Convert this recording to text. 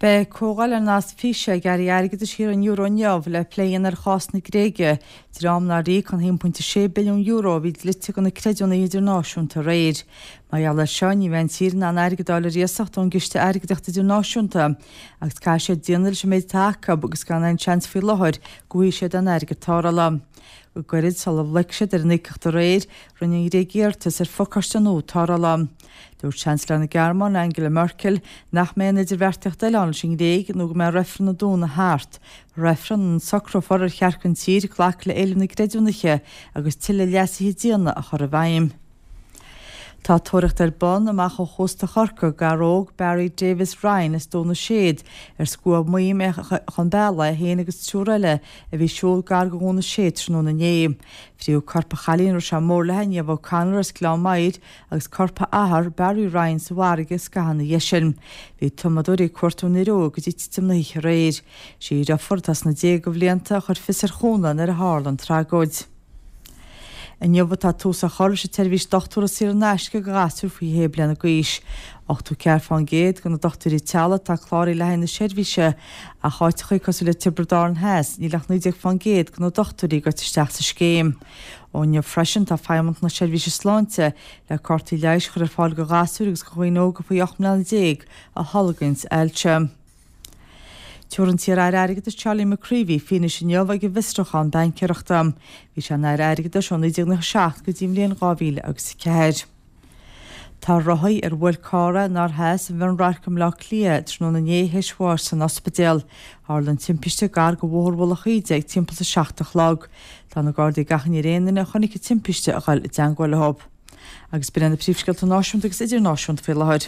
Beidh comhdháil ar nasc físe ag airí airgeadais thíortha an euro inniu le plé a dhéanamh ar chás na Gréige, dream nár íoc an €1.6 billiún a bhí dlite do na creidiúnaithe idirnáisiúnta aréir. Mar gheall air seo, ní bheidh an tír in ann airgead a fháil ar iasacht ón gCiste Airgeadaíochta Idirnáisiúnta agus caithfidh siad déanamh leis an méid atá acu agus gan aon seans faoi láthair go bhfaighidh siad aon airgead tarrthála. Go gairid sula bhloic siad ar an íocaíocht aréir, rinne an Ghréig iarratas ar phacáiste nua tarrthála. Dúirt Seansailéir na Gearmáine, Angela Merkel, nach mbeidh aon idirbheartaíocht eile ann leis an nGréig nó go mbeidh reifreann an Domhnaigh thart, reifreann ina socrófar ar cheart don tír glacadh le éilimh na gcreidiúnaithe agus tuilleadh leasuithe diana a chur i bhfeidhm. Tá tóraíocht ar bun amach ó chósta Chorcaí ar fhear óg Barry Davis Ryan as Dún na Séad ar scuab maidhm é chun bealaigh, é féin agus triúr eile a bhí ag siúl gar do Dhún na Séad tráthnóna inné. Frítheadh corp an chailín a raibh sé mór léi, Niamh O'Connor as Gleann Maghair, agus corp a athar, Barry Ryan, sa bhfarraige scaitheamh ina dhiaidh sin. Bhí tumadóirí ag cuartú an fhir óig go dtí titim na hoíche aréir. Sí a dheirfiúr, atá sna déaga bhlianta, a chuir fios ar chúnamh nuair a tharla an tragóid. Inniu atá tús á chur leis an tseirbhís dochtúra saor in aisce do ghasúir faoi shé bliana d'aois. 84% de na dochtúirí teaghlaigh atá cláraithe le haghaidh na seirbhíse ach áiteachaí cosúil le Tiobraid Árann Theas níl ach 19% de na dochtúirí gaibhte isteach sa scéim. Ó inniu freisin tá Feidhmeannacht na Seirbhíse Sláinte le cártaí leighis a chur ar fáil do ghasúir agus do dhaoine óga faoi 18 mbliana a tholgaíonns ailse. Tabharfaidh an t-iar-aire Airgeadais Charlie McCreevy fianaise inniu ag an bhfiosrúchán baincéireachta. Bhí sé ina aire airgeadais ó 1997 go dtí an bhliain 2004. Tá rothaí ar bhuail carr é in oirthear i Mhionradharc i mBleá Cliath tráthnóna inné théis bháis san ospidéal. Tharla an timpiste gar do Bhóthar Mhullach Íde ag timpeall is a 7 a chlog. Tá na Gardaí ag achainí ar aon duine a chonaic an timpiste a dhul i dteangmháil leo. Agus b'in iad na príomhscéalta náisiúnta agus idirnáisiúnta faoi láthair.